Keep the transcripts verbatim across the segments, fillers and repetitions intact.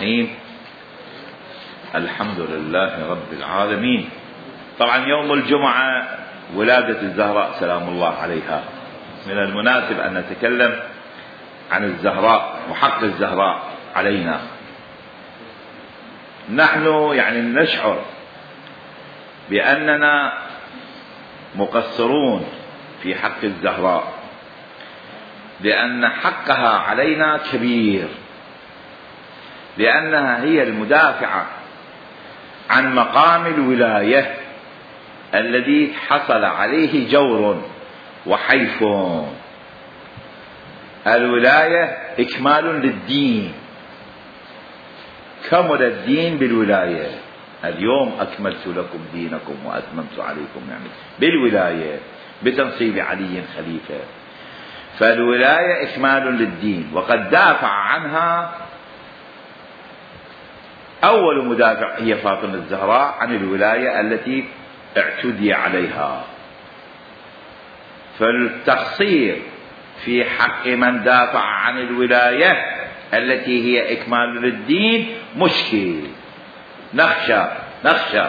الرحيم. الحمد لله رب العالمين. طبعا يوم الجمعة ولادة الزهراء سلام الله عليها، من المناسب أن نتكلم عن الزهراء وحق الزهراء علينا. نحن يعني نشعر بأننا مقصرون في حق الزهراء، لأن حقها علينا كبير، لأنها هي المدافعة عن مقام الولاية الذي حصل عليه جور وحيف. الولاية إكمال للدين، كمل الدين بالولاية. اليوم أكملت لكم دينكم وأتممت عليكم نعمتي، بالولاية، بتنصيب علي خليفة. فالولاية إكمال للدين، وقد دافع عنها أول مدافع هي فاطمة الزهراء عن الولاية التي اعتدي عليها. فالتقصير في حق من دافع عن الولاية التي هي إكمال للدين مشكل. نخشى نخشى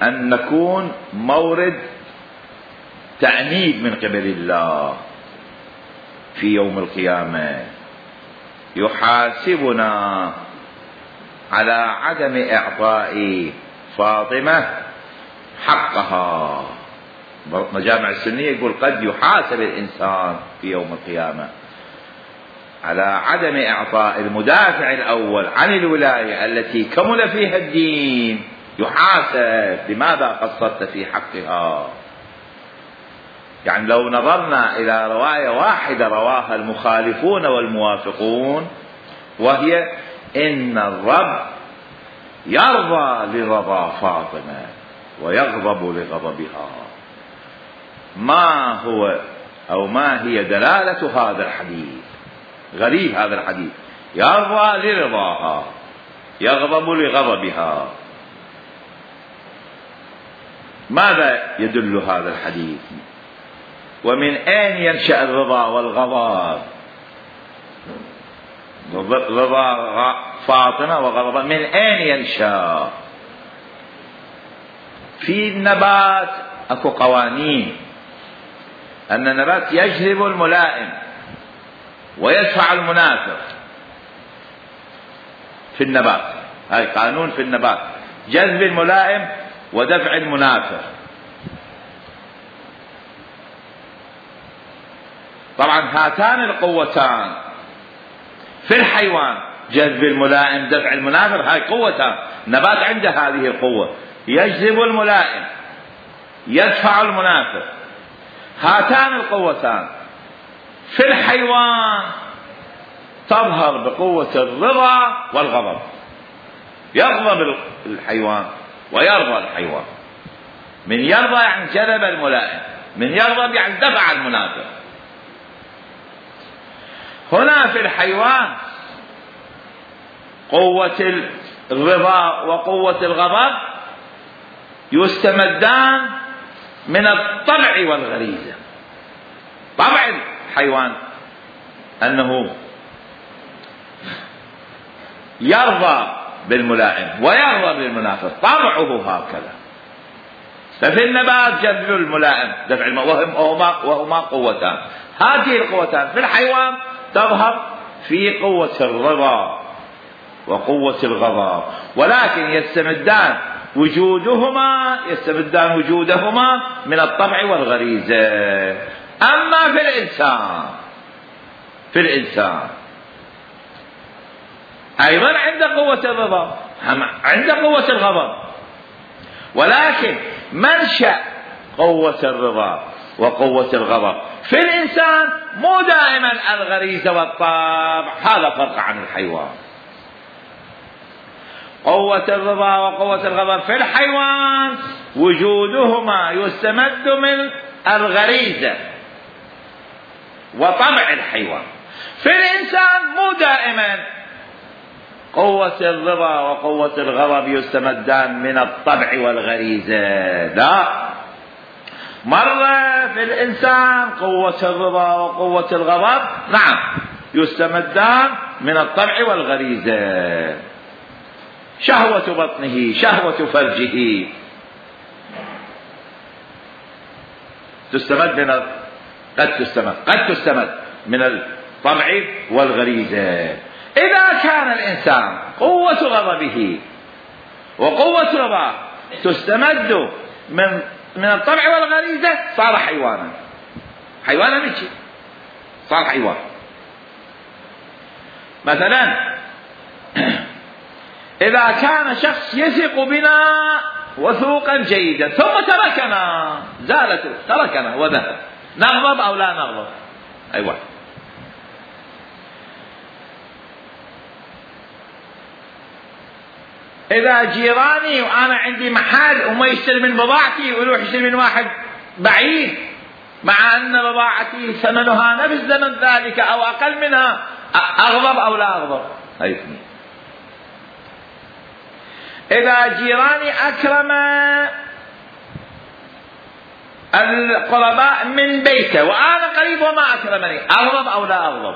أن نكون مورد تأنيب من قبل الله في يوم القيامة، يحاسبنا على عدم إعطاء فاطمة حقها. مجامع السنية يقول قد يحاسب الإنسان في يوم القيامة على عدم إعطاء المدافع الأول عن الولاية التي كمل فيها الدين، يحاسب لماذا قصرت في حقها. يعني لو نظرنا إلى رواية واحدة رواها المخالفون والموافقون، وهي إن الرب يرضى لرضا فاطمة ويغضب لغضبها. ما هو أو ما هي دلالة هذا الحديث؟ غريب هذا الحديث، يرضى لرضاها يغضب لغضبها. ماذا يدل هذا الحديث؟ ومن أين ينشأ الرضا والغضب؟ رضا فاطمة وغضبها من أين ينشأ؟ في النبات أكو قوانين، أن النبات يجذب الملائم ويدفع المنافق. في النبات هاي قانون في النبات، جذب الملائم ودفع المنافق. طبعا هاتان القوتان في الحيوان، جذب الملائم دفع المنافق، هاي قوتان. النبات عنده هذه القوة، يجذب الملائم يدفع المنافق. هاتان القوتان في الحيوان تظهر بقوة الرضا والغضب. يغضب الحيوان ويرضى الحيوان. من يرضى يعني جذب الملائم، من يغضب يعني دفع المنافق. هنا في الحيوان قوة الرضا وقوة الغضب يستمدان من الطبع والغريزة. طبع الحيوان أنه يرضى بالملائم ويرضى بالمنافق، طبعه هكذا. ففي النبات جذب الملائم دفع الملائم، وهما, وهما قوتان. هذه القوتان في الحيوان تظهر في قوة الرضا وقوة الغضب، ولكن يستمدان وجودهما يستمدان وجودهما من الطبع والغريزة. أما في الإنسان في الإنسان أيضا عند قوة الرضا، عند قوة الغضب، ولكن منشأ قوة الرضا وقوة الغضب في الإنسان مو دائما الغريزة والطبع. هذا فرق عن الحيوان. قوة الرضا وقوة الغضب في الحيوان وجودهما يستمد من الغريزة وطبع الحيوان. في الإنسان مو دائما قوة الرضا وقوة الغضب يستمدان من الطبع والغريزة، لا. مرة في الإنسان قوة الرضا وقوة الغضب نعم يستمدان من الطبع والغريزة. شهوة بطنه، شهوة فرجه تستمد من قد تستمد قد تستمد من الطبع والغريزة. إذا كان الإنسان قوة غضبه وقوة رضاه تستمد من من الطبع والغريزة صار حيوانا. حيوانا مشي صار حيوان. مثلا إذا كان شخص يثق بنا وثوقا جيدا ثم تركنا، زالت تركنا وذهب، نغضب أو لا نغضب؟ أيوة. إذا جيراني وأنا عندي محل وما يشتري من بضاعتي ويروح يشتري من واحد بعيد مع أن بضاعتي ثمنها نفس ثمن ذلك أو أقل منها، أغضب أو لا أغضب؟ هاي اثنين. إذا جيراني أكرم القرباء من بيته وأنا قريب وما أكرمني، أغضب أو لا أغضب؟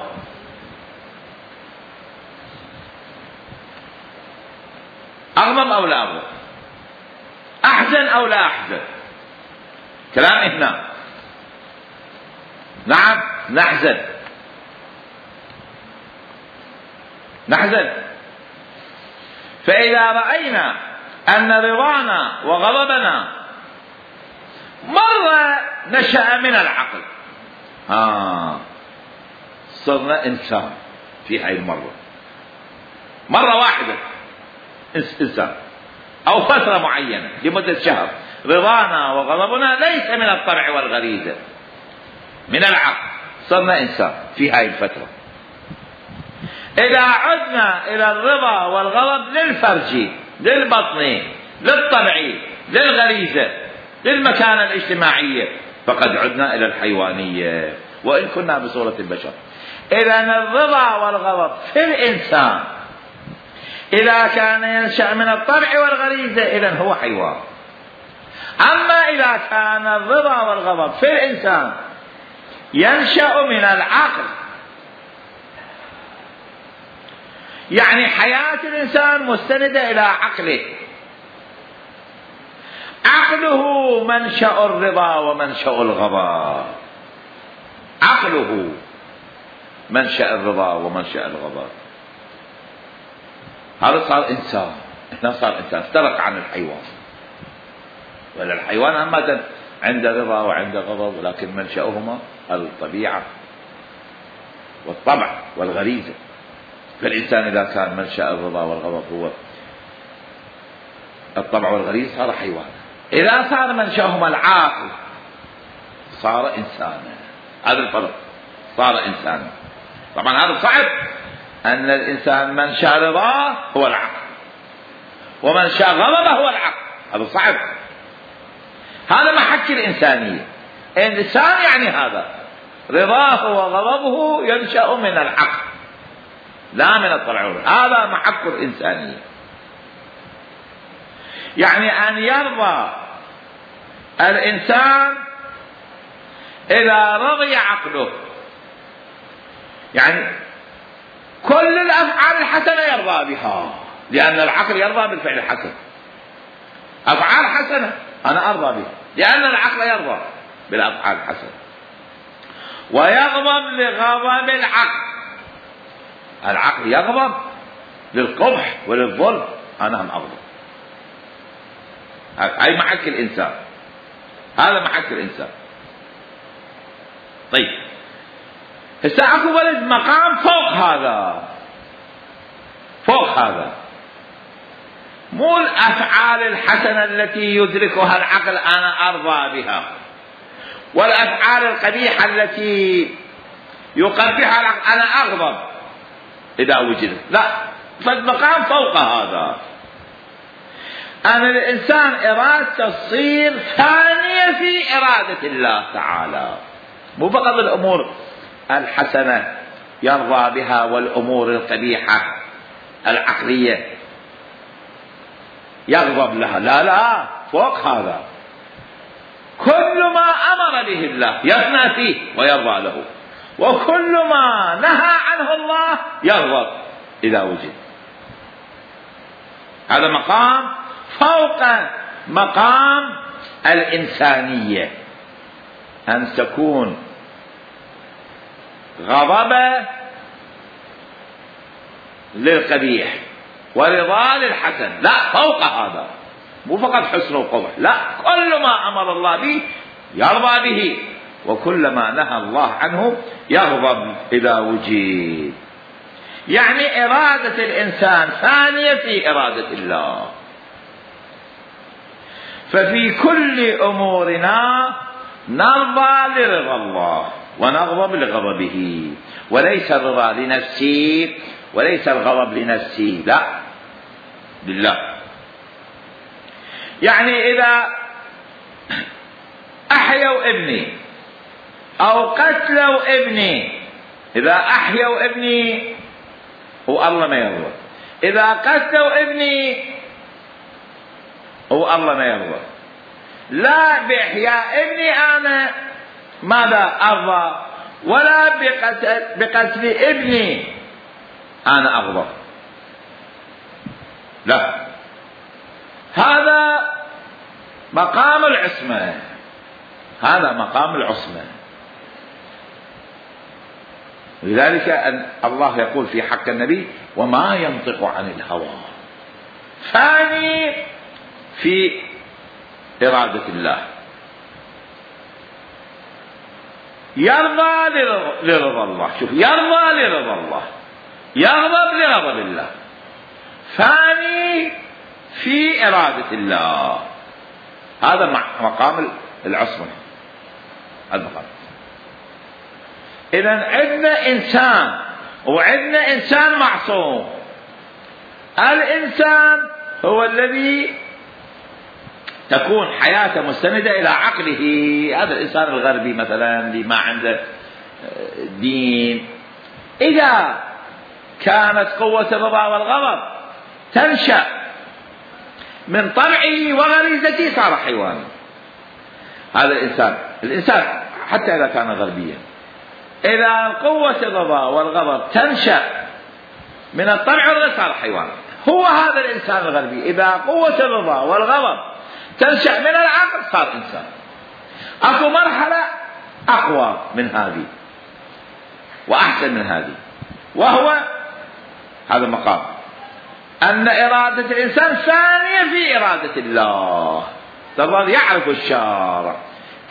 أغضب أو لا أغضب؟ أحزن أو لا أحزن؟ كلام هنا. نعم نحزن نحزن. فإذا رأينا أن رضانا وغضبنا مرة نشأ من العقل، آه صرنا إنسان في هاي المرة، مرة واحدة إنسان أو فترة معينة لمدة شهر، رضانا وغضبنا ليس من الطبع والغريزة، من العقل، صرنا إنسان في هاي الفترة. إذا عدنا إلى الرضا والغضب للفرج، للبطن، للطبع، للغريزة، للمكانة الاجتماعية، فقد عدنا إلى الحيوانية وإن كنا بصورة البشر. إذن الرضا والغضب في الإنسان إذا كان ينشأ من الطبع والغريزة إذن هو حيوان. أما إذا كان الرضا والغضب في الإنسان ينشأ من العقل، يعني حياة الإنسان مستندة إلى عقله، عقله منشأ الرضا ومنشأ الغضب، عقله منشأ الرضا ومنشأ الغضب. هذا صار إنسان، هنا صار إنسان، افترق عن الحيوان. ولا الحيوان عامة عنده رضا وعنده غضب، ولكن منشأهما الطبيعة والطبع والغريزة. فالإنسان إذا كان منشأ الرضا والغضب هو الطبع والغريزة صار حيوان. إذا صار منشأهما العاقل صار إنسانا. هذا الفرق، صار إنسانا. طبعا هذا صعب، أن الإنسان منشأ رضاه هو العقل ومنشأ غضبه هو العقل، هذا صعب. هذا محك الإنسانية. الإنسان يعني هذا رضاه وغضبه ينشأ من العقل لا من الطبع، هذا محك الإنسانية. يعني أن يرضى الإنسان إذا رضي عقله، يعني كل الأفعال الحسنة يرضى بها، لأن العقل يرضى بالفعل الحسن. أفعال حسنة أنا أرضى بها لأن العقل يرضى بالأفعال الحسنة. ويغضب لغضب العقل، العقل يغضب للقبح وللظلم، أنا هم أغضب. هاي محك الإنسان، هذا محك الإنسان. طيب هسه اكو ولد مقام فوق هذا، فوق هذا، مو الأفعال الحسنة التي يدركها العقل أنا أرضى بها، والأفعال القبيحة التي يقبحها العقل أنا أغضب إذا وجدت، لا، فالمقام فوق هذا. أن الإنسان إرادته تصير ثانية في إرادة الله تعالى، مو فقط الأمور الحسنة يرضى بها والأمور القبيحة العقلية يغضب لها، لا لا، فوق هذا كل ما أمر به الله يثنى فيه ويرضى له، وكل ما نهى عنه الله يغضب إذا وجد. هذا مقام فوق مقام الإنسانية، أن تكون غضبه للقبيح ورضا للحسن، لا فوق هذا، مو فقط حسن وقبح، لا، كل ما أمر الله به يرضى به، وكل ما نهى الله عنه يغضب إذا وجد. يعني إرادة الإنسان ثانية في إرادة الله. ففي كل أمورنا نرضى لرضا الله ونغضب لغضبه، وليس الرضا لنفسي وليس الغضب لنفسي، لا، لله. يعني إذا أحيوا ابني أو قتلوا ابني، إذا أحيوا ابني والله ما يرضى، إذا قتلوا ابني والله ما يرضى، لا بإحياء ابني أنا ماذا أرضى، ولا بقتل, بقتل ابني أنا أغضب، لا، هذا مقام العصمة، هذا مقام العصمة. ولذلك أن الله يقول في حق النبي: وما ينطق عن الهوى، ثاني في إرادة الله، يرضى لرضا الله، شوف، يرضى لرضا الله، يغضب لغضب الله، ثاني في إرادة الله، هذا مقام العصمة، المقام. إذن عندنا إنسان وعندنا إنسان معصوم. الإنسان هو الذي تكون حياته مستندة إلى عقله، هذا الإنسان الغربي مثلا اللي ما عنده دين، إذا كانت قوة الرضا والغضب تنشأ من طبعه وغريزته صار حيوان. هذا الإنسان الإنسان حتى إذا كان غربيا، إذا قوة الرضا والغضب تنشأ من الطبع والغريزة صار حيوان. هو هذا الإنسان الغربي إذا قوة الرضا والغضب تنشأ من العقل صار إنسان. أكو مرحلة أقوى من هذه وأحسن من هذه، وهو هذا المقام، أن إرادة الإنسان ثانية في إرادة الله. الله يعرف الشارع،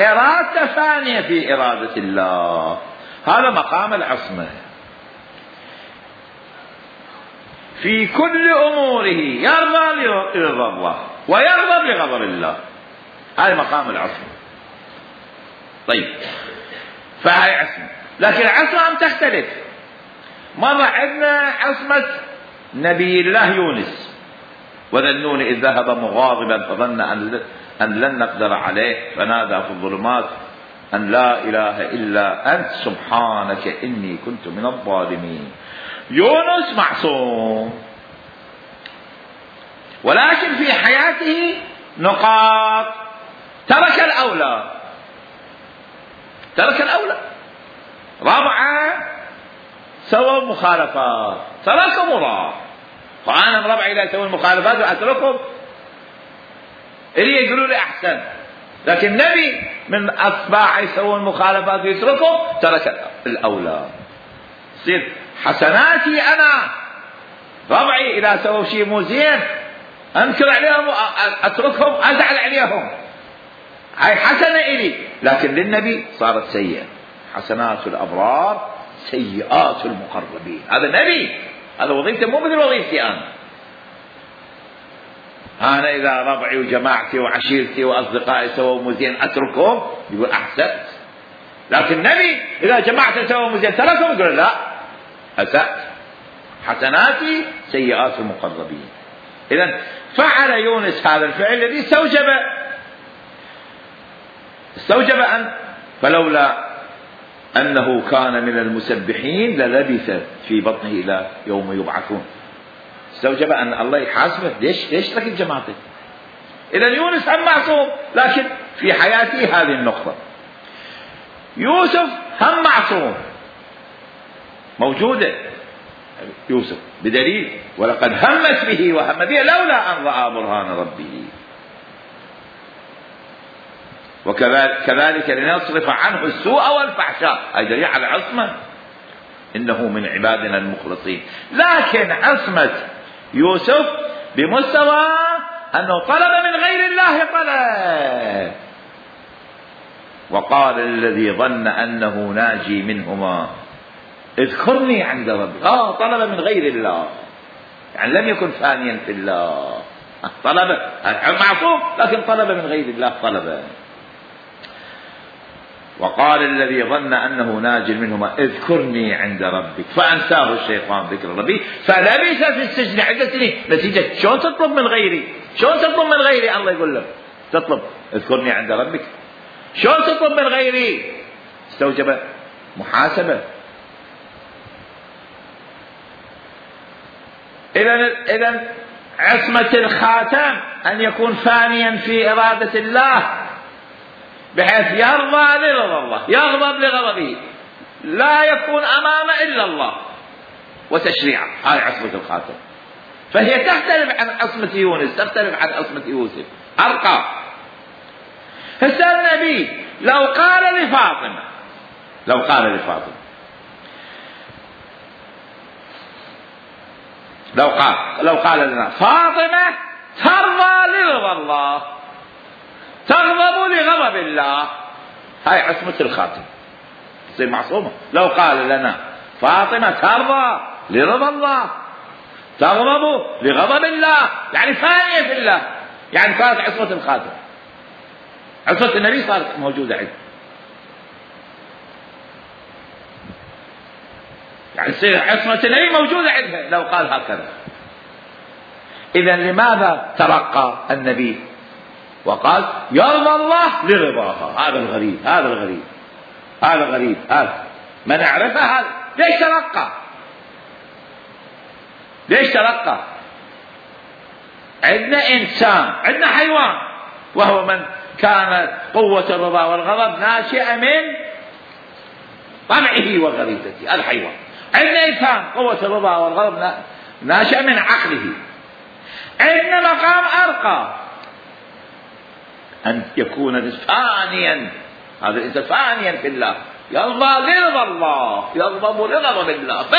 إرادة ثانية في إرادة الله، هذا مقام العصمة. في كل أموره يرضى لرضا الله ويغضب لغضب الله، هذا مقام العصمة. طيب، فهي عصمة، لكن العصمة أم تختلف. مرة عندنا عصمة نبي الله يونس: وذا النون إذ ذهب مغاضبا فظن أن لن نقدر عليه فنادى في الظلمات أن لا إله إلا أنت سبحانك إني كنت من الظالمين. يونس معصوم، ولكن في حياته نقاط، ترك الأولى، ترك الأولى. رابعة سووا مخالفات، تركوا مراء، فأنا من ربعي لا يسوون مخالفات وأتركهم اللي يقولوا لي أحسن، لكن النبي من أتباعه يسوون مخالفات ويتركهم، ترك الأولى. يصير حسناتي أنا ربعي إذا سووا شيء مو زين أنكر عليهم أتركهم، أزعل عليهم، هاي حسنة إلي، لكن للنبي صارت سيئة. حسنات الأبرار سيئات المقربين، هذا النبي، هذا وظيفته مو مثل وظيفتي أنا. أنا إذا ربعي وجماعتي وعشيرتي وأصدقائي سووا مو زين أتركهم، يقول أحسنت، لكن النبي إذا جماعته سووا مو زين تركهم، يقول لا أسأت، حسناتي سيئات المقربين. إذن فعل يونس هذا الفعل الذي استوجب استوجب أن فلولا أنه كان من المسبحين للبث في بطنه إلى يوم يبعثون. استوجب أن الله يحاسبه، ليش ليش ترك جماعته؟ إذن يونس هم معصوم، لكن في حياته هذه النقطة. يوسف هم معصوم، موجودة يوسف بدليل ولقد همت به وهم به لولا أن رأى برهان ربه. وكذلك لنصرف عنه السوء والفحشاء، أي دليل على عصمة، إنه من عبادنا المخلصين. لكن عصمة يوسف بمستوى أنه طلب من غير الله طلب. وقال الذي ظن أنه ناجي منهما اذكرني عند ربي. آه طلب من غير الله، يعني لم يكن فانيا في الله، طلب معصوم لكن طلب من غير الله طلبا. وقال الذي ظن أنه ناج منهما اذكرني عند ربك فأنساه الشيطان ذكر ربي فلبث في السجن عدة سنين. نتيجة شلون تطلب من غيري؟ شلون تطلب من غيري؟ الله يقول لك تطلب اذكرني عند ربك، شلون تطلب من غيري؟ استوجب محاسبة. إذن إذن عصمة الخاتم أن يكون فانيا في إرادة الله بحيث يرضى لرضا الله، يغضب لغضبه، لا يكون أمام إلا الله وتشريعه. هاي عصمة الخاتم. فهي تختلف عن عصمة يونس، تختلف عن عصمة يوسف، أرقى. هسه النبي لو قال لفاطمة لو قال لفاطمة لو قال لو قال لنا فاطمة ترضى لرضا الله تغضب لغضب الله، هاي عصمة الخاتم تصير معصومة. لو قال لنا فاطمة ترضى لرضا الله تغضب لغضب الله، يعني فانية في الله، يعني صارت عصمة الخاتم. عصمة النبي صارت موجودة عنده، يعني تصير عصمة النبي موجودة عندها لو قال هكذا. إذن لماذا ترقى النبي وقال يرضى الله لرضاها؟ هذا الغريب هذا الغريب هذا غريب هذا ما نعرفه. هذا ليش ترقى؟ ليش ترقى؟ عندنا إنسان، عندنا حيوان، وهو من كانت قوة الرضا والغضب ناشئة من طمعه وغريزته، الحيوان. عندنا إنسان قوة الرضا والغضب ناشئة من عقله. عندنا مقام أرقى أن يكون فانيا، هذا الإنسان فانيا في الله، يرضى لرضا الله يغضب لغضب الله، بس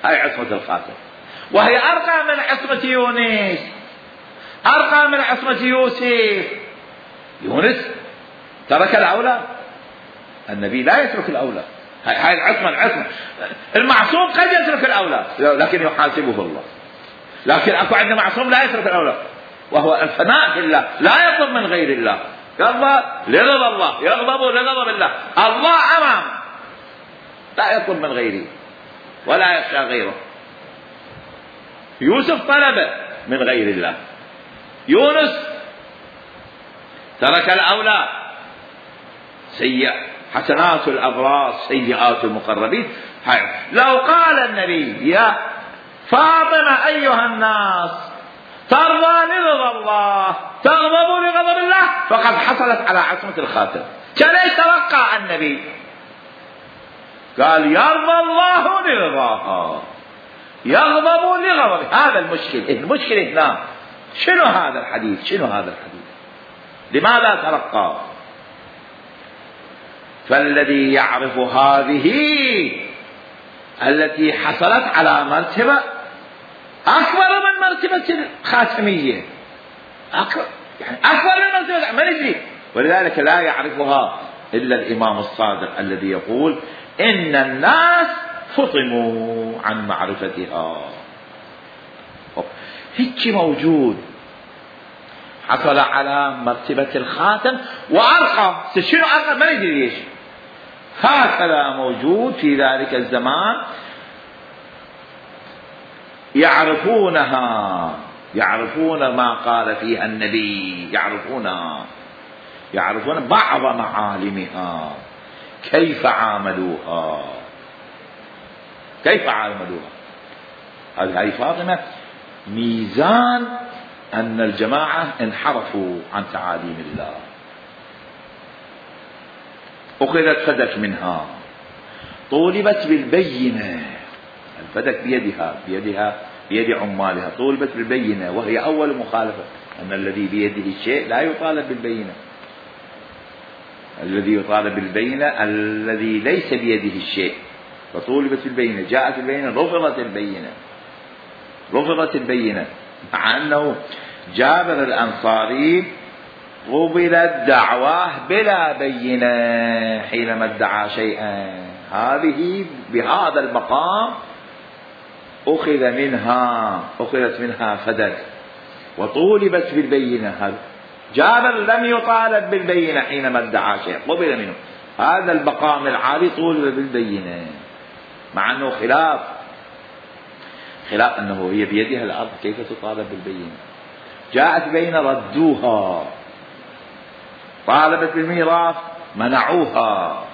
هاي عصمة الخاتم. وهي أرقى من عصمة يونس، أرقى من عصمة يوسف. يونس ترك الأولى، النبي لا يترك الأولى. هاي العصمة العصمة المعصوم قد يترك الأولى لكن يحاسبه الله، لكن أكو عندنا معصوم لا يترك الأولى وهو الفناء في الله، لا يطلب من غير الله، يرضى لرضا الله يغضب لغضب الله. الله أمام، لا يطلب من غيره ولا يخشى غيره. يوسف طلب من غير الله، يونس ترك الأولى. سيئ حسنات الأبرار سيئات المقربين. لو قال النبي يا فاطمة أيها الناس ترضى لرضا الله تغضب لغضب الله، فقد حصلت على عصمة الخاتم. ليش توقع النبي؟ قال يرضى الله لرضاها يغضب لغضب. هذا المشكل. المشكلة هنا شنو هذا الحديث؟ شنو هذا الحديث؟ لماذا ترقى؟ فالذي يعرف هذه التي حصلت على مرتبة أكبر من مرتبة الخاتمية، أكبر يعني أكبر من مرتبة، ما ندري. ولذلك لا يعرفها إلا الإمام الصادق الذي يقول إن الناس فطموا عن معرفتها. هيك موجود، حصل على مرتبة الخاتم وأرقى. شنو أرقى؟ ما ندري ليش. هكذا موجود في ذلك الزمان، يعرفونها، يعرفون ما قال فيها النبي، يعرفونها، يعرفون بعض معالمها، كيف عاملوها كيف عاملوها. هذه فاطمة ميزان أن الجماعة انحرفوا عن تعاليم الله، أخذت فدك منها، طولبت بالبينة، الفدك بيدها بيدها بيد عمالها، طولبت بالبينة وهي أول مخالفة، أن الذي بيده الشيء لا يطالب بالبينة، الذي يطالب بالبينة الذي ليس بيده الشيء، فطولبت بالبينة، جاءت البينة، رفضت البينة، رفضت البينة، مع أنه جابر الأنصاري قبلت دعواه بلا بينة حينما ادعى شيئا، هذه بهذا المقام أخذ منها أخذت منها فدك وطولبت بالبينة. هذا جابر لم يطالب بالبينة حينما ادعى شيئا، قبل منه، هذا المقام العالي طولب بالبينة، مع أنه خلاف خلاف أنه هي بيدها الأرض، كيف تطالب بالبينة؟ جاءت بين ردوها، طالبت بالميراث منعوها.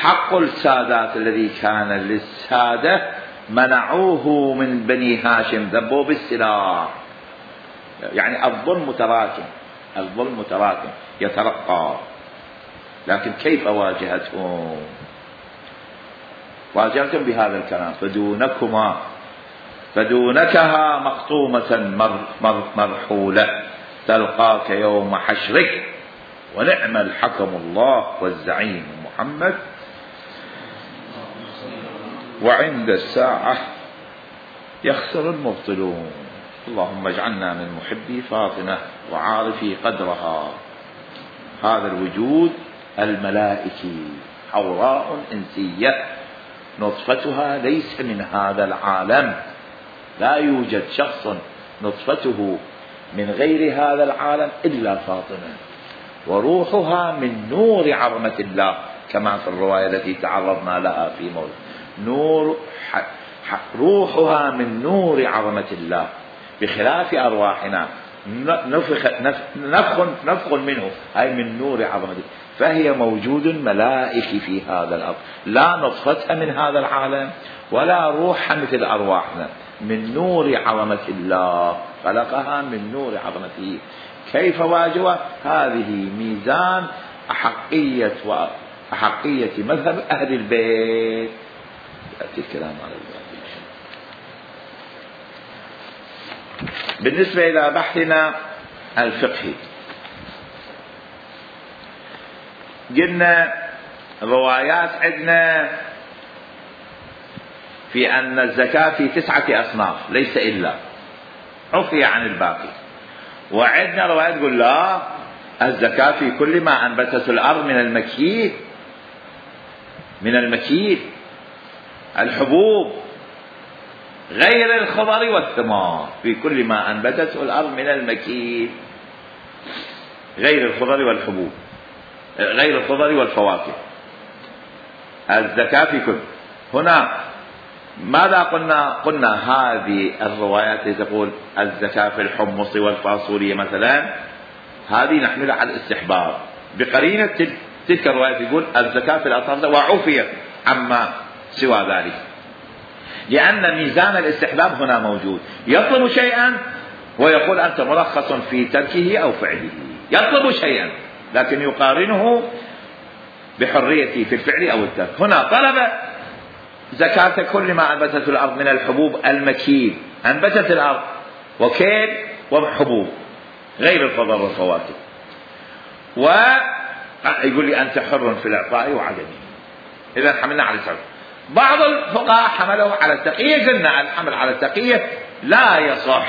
حق السادات الذي كان للسادة منعوه من بني هاشم، ذبوا بالسلاح، يعني الظلم متراكم، الظلم متراكم يترقى، لكن كيف واجهتهم؟ واجهتهم بهذا الكلام: فدونكما فدونكها مقطومة مرحولة تلقاك يوم حشرك، ونعم الحكم الله والزعيم محمد، وعند الساعة يخسر المبطلون. اللهم اجعلنا من محبي فاطمة وعارفي قدرها. هذا الوجود الملائكي، حوراء إنسية، نطفتها ليس من هذا العالم، لا يوجد شخص نطفته من غير هذا العالم إلا فاطمة، وروحها من نور عظمة الله، كما في الرواية التي تعرضنا لها في موت نور روحها من نور عظمة الله، بخلاف أرواحنا نفخ نفخ نفخ منه، أي من نور عظمته، فهي موجود ملائكي في هذا الأرض، لا نطفتها من هذا العالم ولا روحها مثل أرواحنا، من نور عظمة الله، خلقها من نور عظمته. كيف واجهها؟ هذه ميزان أحقية وأحقية مذهب أهل البيت. يأتي الكلام على البيت. بالنسبة إلى بحثنا الفقهي، قلنا روايات عندنا في أن الزكاة في تسعة أصناف ليس إلا، عفي عن الباقي. وعندنا روايات تقول لا، الزكاة في كل ما أنبتت الأرض من المكيل، من المكيل الحبوب غير الخضر والثمار، في كل ما أنبتته الأرض من المكيل، غير الخضر والحبوب، غير الخضر والفواكه، الزكاة في كل. هنا ماذا قلنا؟ قلنا هذه الروايات التي تقول الزكاة في الحمص والفاصولية مثلا، هذه نحملها على الاستحباب بقرينة تلك الروايات يقول الزكاة في الأصناف وعفية عما سوى ذلك، لأن ميزان الاستحباب هنا موجود، يطلب شيئا ويقول أنت مرخص في تركه أو فعله، يطلب شيئا لكن يقارنه بحريته في الفعل أو الترك. هنا طلب زكاة كل ما أنبتت الأرض من الحبوب المكيل، أنبتت الأرض وكيل وحبوب غير الخضر والفواكه، ويقول لي أنت حر في الإعطاء وعدمه، إذا حملنا على السعر. بعض الفقهاء حملوا على التقية، قلنا الحمل على التقية لا يصح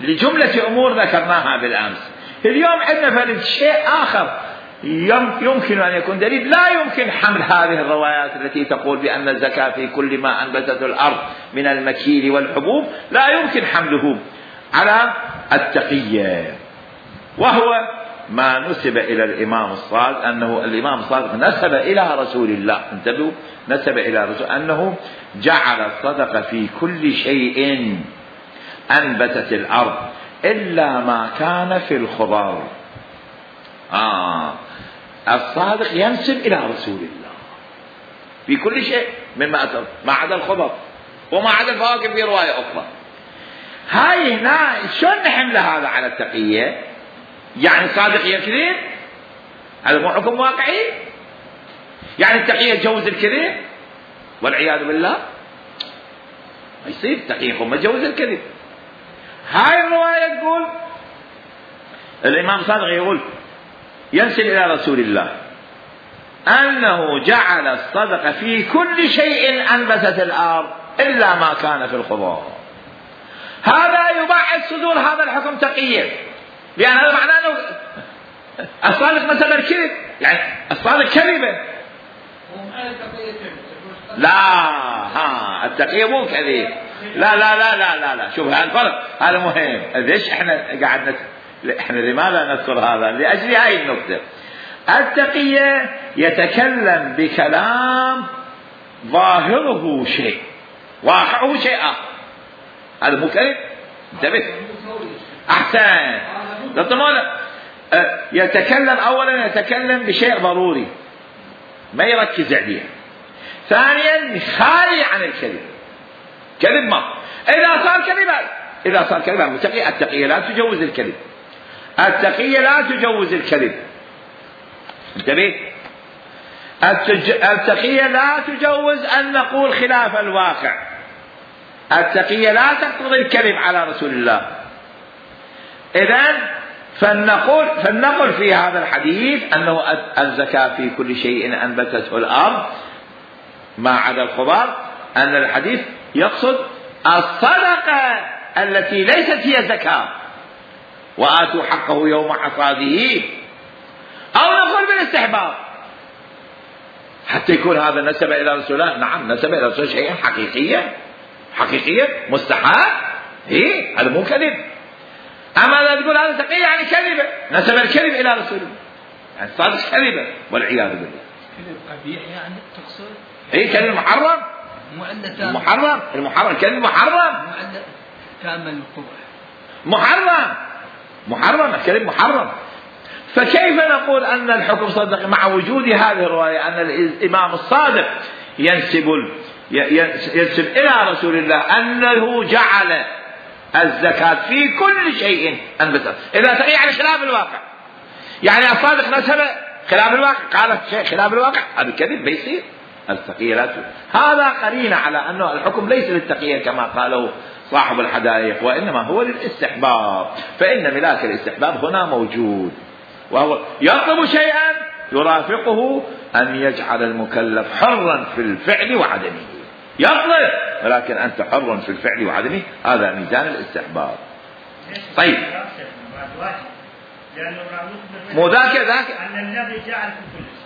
لجملة أمور ذكرناها بالأمس. اليوم عندنا فرد شيء آخر يمكن أن يكون دليل، لا يمكن حمل هذه الروايات التي تقول بأن الزكاة في كل ما أنبتت الأرض من المكيل والحبوب، لا يمكن حمله على التقية، وهو ما نسب إلى الإمام الصادق، أنه الإمام الصادق نسب إلى رسول الله، انتبهوا، نسب إلى رسول أنه جعل الصدقة في كل شيء أنبتت الأرض إلا ما كان في الخضر. آه الصادق ينسب إلى رسول الله في كل شيء مما أتى ما عدا الخضر وما عدا الفواكه في رواية أخرى. هاي هنا شلون نحمل هذا على التقية؟ يعني صادق يكذب؟ هذا مو حكم واقعي؟ يعني التقية تجوز الكذب والعياذ بالله؟ ما يصير التقية يقول ما تجوز الكذب. هاي الرواية تقول الإمام صادق يقول ينسب إلى رسول الله أنه جعل الصدقة في كل شيء أنبتت الأرض إلا ما كان في الخضار. هذا يبعد صدور هذا الحكم تقية، لأن هذا معناه أنه الصادق نسب الكذب، يعني الصادق كذبه. لا ها التقية مو كذب، لا لا لا لا لا لا شوف هذا الفرق، هذا مهم. ليش احنا قاعد نت... احنا لماذا نذكر هذا؟ لأجل هاي النقطة. التقية يتكلم بكلام ظاهره شيء واقعه شيء آخر، هذا مو كذب. انتبه احسن. يتكلم اولا يتكلم بشيء ضروري ما يركز عليه. ثانيا خالي عن الكذب، كذب ما اذا صار كذب، اذا صار كذب التقية التقية لا تجوز الكذب، التقية لا تجوز الكذب. انتبه التج... التقية لا تجوز ان نقول خلاف الواقع، التقية لا تقتضي الكذب على رسول الله. اذن فلنقول فلنقل في هذا الحديث انه الزكاة في كل شيء انبتته الارض ما عدا الخضار، ان الحديث يقصد الصدقة التي ليست هي زكاة، وآتوا حقه يوم حصاده. او نقول بالاستحباب حتى يكون هذا نسب الى رسول الله. نعم نسب الى رسول شيئا حقيقيا حقيقيا مستحب، ايه هذا مو كذب. اما لا تقول هذا تقي يعني كذبه، نسب الكذب الى رسول الله، يعني صادق كذبه والعياذ بالله. كذب قبيح يعني تقصد؟ ايه كذب محرم، محرم المحرم كذب محرم، كامل القبح محرم محرم الكذب محرم. فكيف نقول ان الحكم صدق مع وجود هذه الروايه ان الامام الصادق ينسب ينسب الى رسول الله انه جعل الزكاة في كل شيء أنبتت. إذا تقي يعني خلاف الواقع، يعني الصادق نسب خلاف الواقع، قال شيء خلاف الواقع، هذا الكذب بيصير. التقية لا تجوز. هذا قرينة على أنه الحكم ليس للتقية كما قاله صاحب الحدائق، وإنما هو للاستحباب، فإن ملاك الاستحباب هنا موجود، وهو يطلب شيئا يرافقه أن يجعل المكلف حرا في الفعل وعدمه. يطلب ولكن أنت حر في الفعل وعدمه، هذا ميزان الاستحباب. طيب مو ذاك ذاك أن النبي جعل في كل شيء.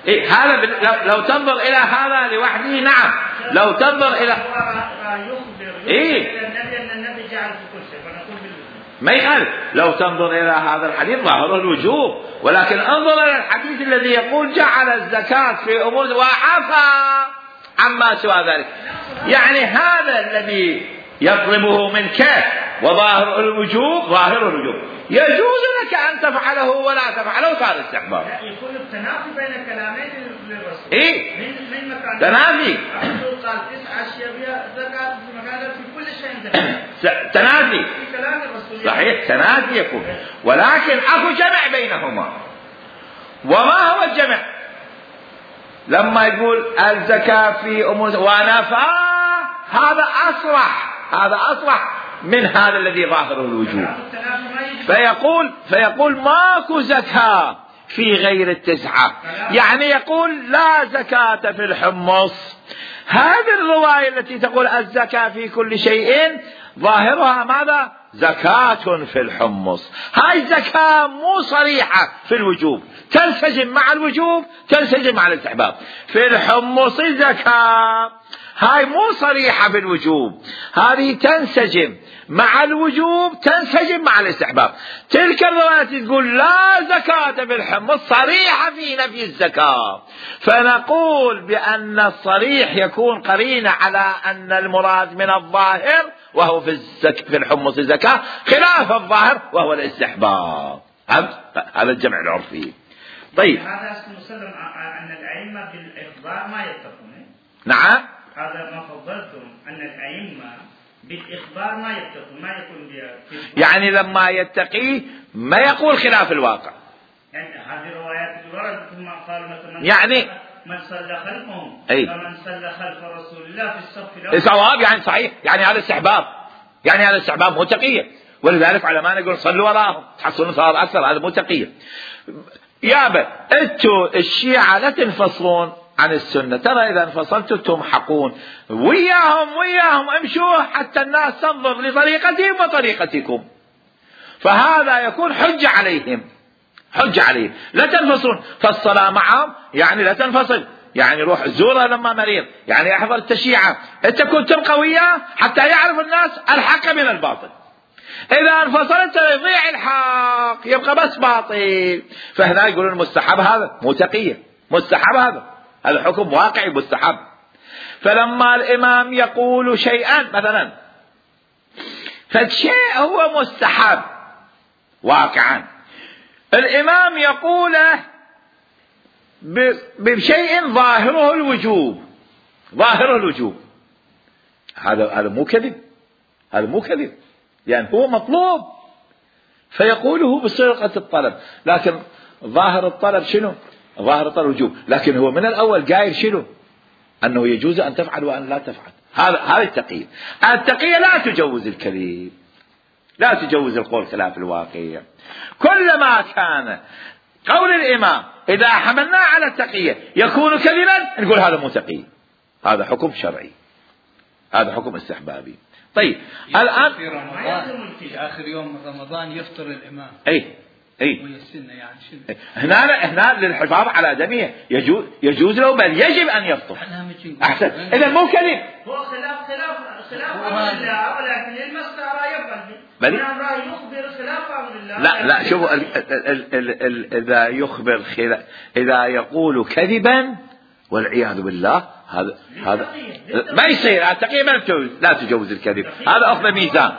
إيه هذا بل... لو, لو تنظر إلى هذا لوحده نعم، لو تنظر إلى يخبر إيه النبي أن النبي جعل في كل شيء فنقول بالوجوب ما يخالف. لو تنظر إلى هذا الحديث ظاهر الوجوب، ولكن انظر إلى الحديث الذي يقول جعل الزكاة في أمور وعفى عما سوى ذلك، يعني هذا الذي يطلبه منك وظاهر الوجوب ظاهر الوجوب، يجوز لك أن تفعله ولا تفعله، صار استحباب. يكون التنافي بين كلامين للرسول. إيه من من مكان تنافي. الرسول قال تسع أشياء بها زكاة في مكان في كل شيء زكاة. تنافي في كلام الرسول صحيح، تنافي يكون، ولكن أكو جمع بينهما. وما هو الجمع؟ لما يقول الزكاة في أمور ونفى، هذا أصرح، هذا أصرح من هذا الذي ظاهره الوجوب. فيقول فيقول ماكو زكاة في غير التسعة، يعني يقول لا زكاة في الحمص. هذه الرواية التي تقول الزكاة في كل شيء ظاهرها ماذا؟ زكاة في الحمص. هاي زكاة مو صريحة في الوجوب، تنسجم مع الوجوب تنسجم مع الاستحباب. في الحمص زكاة هاي مو صريحة في الوجوب، هذه تنسجم مع الوجوب تنسجم مع الاستحباب. تلك الرواية تقول لا زكاة في الحمص صريحة في نفي الزكاة، فنقول بأن الصريح يكون قرينة على أن المراد من الظاهر وهو في الزك في الحمص زكاة خلاف الظاهر وهو الاستحباب. هذا الجمع العرفي. طيب هذا اسمه مسلم أن الأئمة بالإخبار ما يتقون. نعم هذا ما فضلتم أن الأئمة بالإخبار ما يتقون، ما يكون بها يعني لما يتقي ما يقول خلاف الواقع. يعني هذه الروايات يعني من صلى خلفهم أي فمن صلى خلف رسول الله في الصف الأول صواب، يعني صحيح، يعني هذا استحباب، يعني هذا استحباب مو تقية، ولذلك علماء يقول صلوا وراهم تحصلون ثواب أكثر، هذا مو تقية. يابا انتوا الشيعة لا تنفصلون عن السنة، ترى إذا انفصلتوا تمحقون، وياهم وياهم امشوا حتى الناس تنظر لطريقتهم وطريقتكم، فهذا يكون حجة عليهم، حجة عليهم. لا تنفصلون، فالصلاة معهم يعني لا تنفصل، يعني روح زوره لما مريض، يعني احضر التشيعة، انت كنت تبقى وياه حتى يعرف الناس الحق من الباطل. إذا انفصلت يضيع الحق، يبقى بس باطل. فهنا يقولون مستحب، هذا مو تقية، مستحب، هذا هذا حكم واقعي مستحب. فلما الإمام يقول شيئا مثلا، فالشيء هو مستحب واقعا، الإمام يقوله بشيء ظاهره الوجوب، ظاهره الوجوب، هذا هذا مو كذب، هذا مو كذب، يعني هو مطلوب فيقوله بصيغة الطلب، لكن ظاهر الطلب شنو؟ ظاهر الطلب وجوب، لكن هو من الأول قايل شنو؟ أنه يجوز أن تفعل وأن لا تفعل. هذا هذه التقية. التقية لا تجوز الكذب، لا تجوز القول خلاف الواقع. كلما كان قول الإمام إذا حملناه على التقية يكون كذبا، نقول هذا مو تقية، هذا حكم شرعي، هذا حكم استحبابي. طيب الآن في رمضان في آخر يوم من رمضان يفطر الإمام، أي أي ويسنة يعني شنو؟ هنا هنا للحفاظ على دمه يجوز، يجوز له بل يجب أن يفطر. أحسن، إذا مو كذب، هو خلاف خلاف خلاف أمر الله، ولكن المسألة يفعل بل يخبر خلاف أمر الله. لا لا شوفوا ال ال ال ال إذا يخبر خلاف، إذا يقول كذبا والعياذ بالله، هذا هذا ما يصير. التقية ما تجوز، لا تجوز الكذب، هذا أخذ ميزان.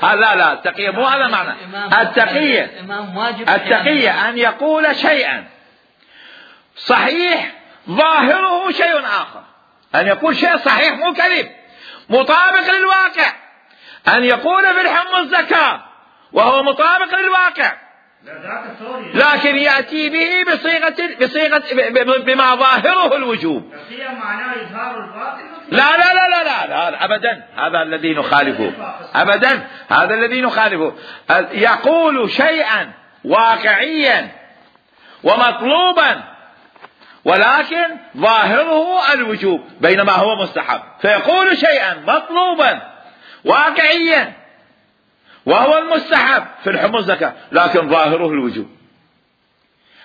لا لا التقية مو هذا معنى التقية. التقية أن يقول شيئا صحيح ظاهره شيء آخر، أن يقول شيء صحيح مو كذب مطابق للواقع، أن يقول في الحم الزكاة وهو مطابق للواقع، لكن يأتي به بصيغة بصيغة بما ظاهره الوجوب. لا لا لا لا لا, لا أبدا، هذا الذي نخالفه أبدا، هذا الذي نخالفه. يقول شيئا واقعيا ومطلوبا ولكن ظاهره الوجوب بينما هو مستحب، فيقول شيئا مطلوبا واقعيا وهو المستحب في الحمى الزكاة لكن ظاهره الوجوب،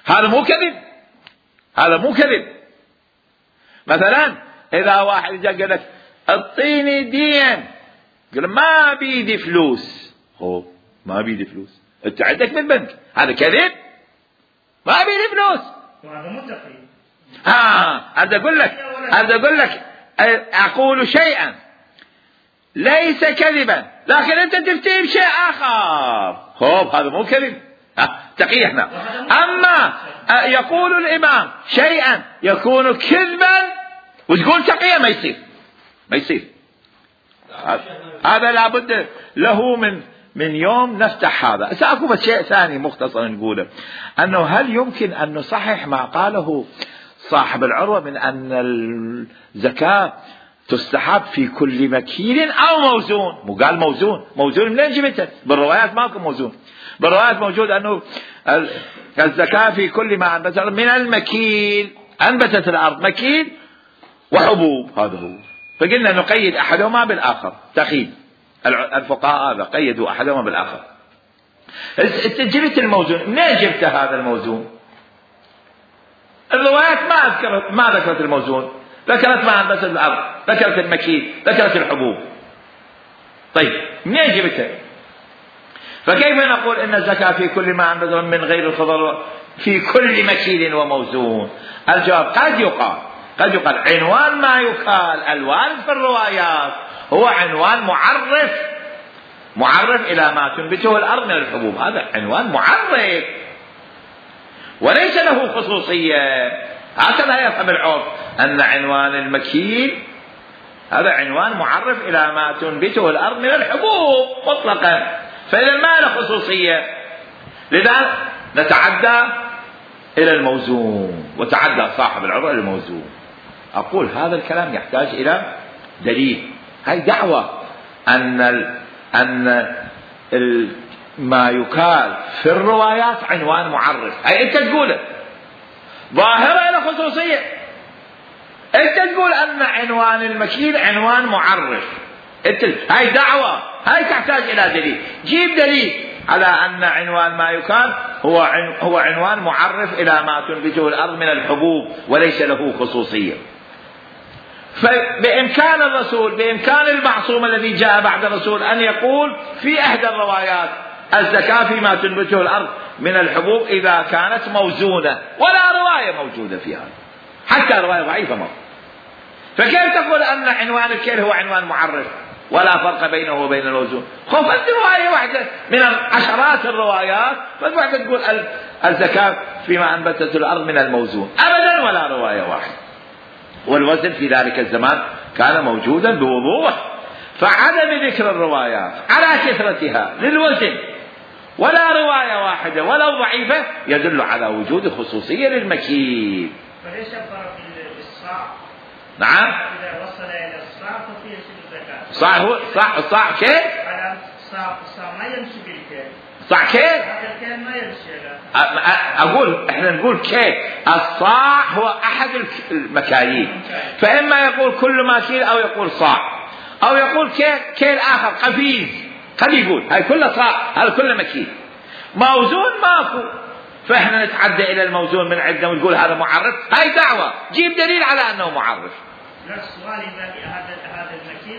هذا مو كذب، هذا مو كذب. مثلا إذا واحد جاء قال لك اعطيني دين، قال ما بيدي فلوس، هو ما بيدي فلوس، انت عندك من البنك، هذا كذب، ما بيدي فلوس، وهذا متقي. ها هذا اقول لك، هذا اقول لك اقول شيئا ليس كذبا لكن انت تفتي بشيء اخر، خب هذا مو كذب، تقي احنا. اما يقول الامام شيئا يكون كذبا وتقول تقية، ما يصير، ما يصير. هذا لابد له من من يوم نفتح هذا. سأقول بس شيء ثاني مختصرا نقوله، انه هل يمكن ان نصحح ما قاله صاحب العروة من ان الزكاة تستحب في كل مكيل او موزون؟ مو قال موزون، موزون منين جبته؟ بالروايات ماكو موزون، بالروايات موجود انه الزكاة في كل ما انبت من المكيل، انبتت الارض مكيل وحبوب، هذا هو. فقلنا نقيد احدهما بالاخر، تقييد الفقهاء هذا قيدوا احدهما بالاخر. جبت الموزون، منين جبت هذا الموزون؟ الروايات ما ذكرت ما ذكرت الموزون، ذكرت ما انبتت الارض، ذكرت المكيل، ذكرت الحبوب. طيب منين جبتها؟ فكيف نقول ان الزكاة في كل ما انبت من غير الخضر في كل مكيل وموزون؟ الجواب قد يقال قد يقال عنوان ما يقال الوارد في الروايات هو عنوان معرف، معرف إلى ما تنبته الأرض من الحبوب، هذا عنوان معرف وليس له خصوصية. هكذا يفهم العرف أن عنوان المكيل هذا عنوان معرف إلى ما تنبته الأرض من الحبوب مطلقا، فإذا ما له خصوصية، لذا نتعدى إلى الموزون، وتعدى صاحب العروة إلى الموزون. أقول هذا الكلام يحتاج إلى دليل. هاي دعوة أن ال أن ال ما يقال في الروايات عنوان معرف، هاي أنت تقوله ظاهرة إلى خصوصية. أنت تقول أن عنوان المكيل عنوان معرف، أنت هاي دعوة، هاي تحتاج إلى دليل. جيب دليل على أن عنوان ما يقال هو عن هو عنوان معرف إلى ما تنبته الأرض من الحبوب وليس له خصوصية. فبإمكان الرسول، بإمكان المعصوم الذي جاء بعد الرسول أن يقول في إحدى الروايات الزكاة فيما تنبته الأرض من الحبوب إذا كانت موزونة، ولا رواية موجودة في هذا، حتى رواية ضعيفة موجودة. فكيف تقول أن عنوان الكيل هو عنوان معرف ولا فرق بينه وبين الموزون؟ خفت رواية واحدة من عشرات الروايات فالواحدة تقول الزكاة فيما أنبتت الأرض من الموزون، أبدا ولا رواية واحدة. والوزن في ذلك الزمان كان موجودا بوضوح، فعدم ذكر الروايات على كثرتها للوزن ولا رواية واحدة ولو ضعيفة يدل على وجود خصوصية للمكيل. فليش الفرق بالصاع؟ نعم. إذا وصل إلى الصاع ففيه الزكاة. صاع هو صاع صاع كيف؟ على الصاع الصاع ما يمشي بالكيل. صاع كيف؟ هذا الكيل ما يمشي. أقول إحنا نقول كيل. الصاع هو أحد المكاييل، فإما يقول كل ماكيل أو يقول صاع أو يقول كيل كيل آخر قفيز، قد يقول هاي كلها صاع، هذا كله مكيل. موزون ماكو، فإحنا نتعدى إلى الموزون من عندنا ونقول هذا معرف. هاي دعوة، جيب دليل على أنه معرف. لا السؤال إذا هذا هذا المكيل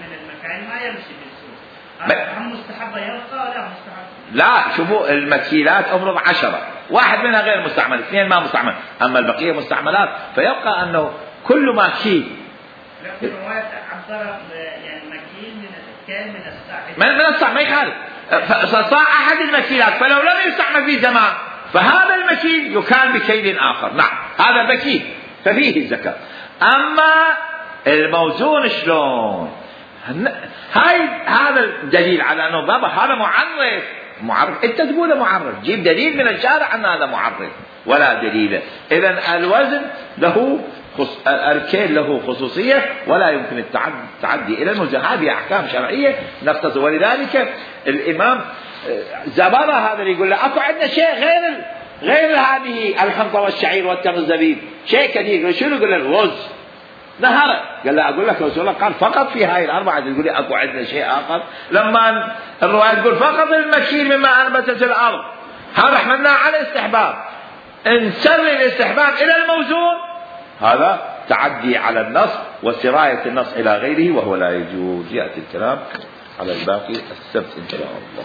من المكاييل ما يمشي بالسوق، هم مستحبة يبقى ولا مستحب؟ لا، شوفوا المكيلات أفرض عشرة، واحد منها غير مستعمل، اثنين ما مستعمل، أما البقية مستعملات، فيبقى أنه كل ماكيل. لكن رواية عبر يعني مكيل من الكيل من الصاع. من الصاع ما يخالف، فصاع أحد المكيلات، فلو لم يستعمل في زمان فهذا المكيل يكال بكيل آخر. نعم هذا مكيل ففيه الزكاة. أما الموزون شلون؟ هاي هذا الدليل على أنه بابا هذا معرف. معرف أنت تقوله معرف، جيب دليل من الشارع أن هذا معرف ولا دليل. إذن الوزن له خص... الكيل له خصوصية ولا يمكن التعدي إلى الموزن. هذه أحكام شرعية نقتصر. ولذلك الإمام زبرة هذا اللي يقول له أكو عندنا شيء غير غير هذه الحنطة والشعير والتمر الزبيب، شيء كثير. شنو؟ يقول له الرز. نهار قال له أقول لك رسول الله قال فقط في هاي الأربعة، تقول لي أكو عندنا شيء آخر؟ لما الرواية تقول فقط المكيل مما أنبتت الأرض، هذا حملناه على الاستحباب. انسر الاستحباب إلى الموزون، هذا تعدي على النص وسراية النص إلى غيره وهو لا يجوز. يأتي الكلام على الباقي السبت إن شاء الله.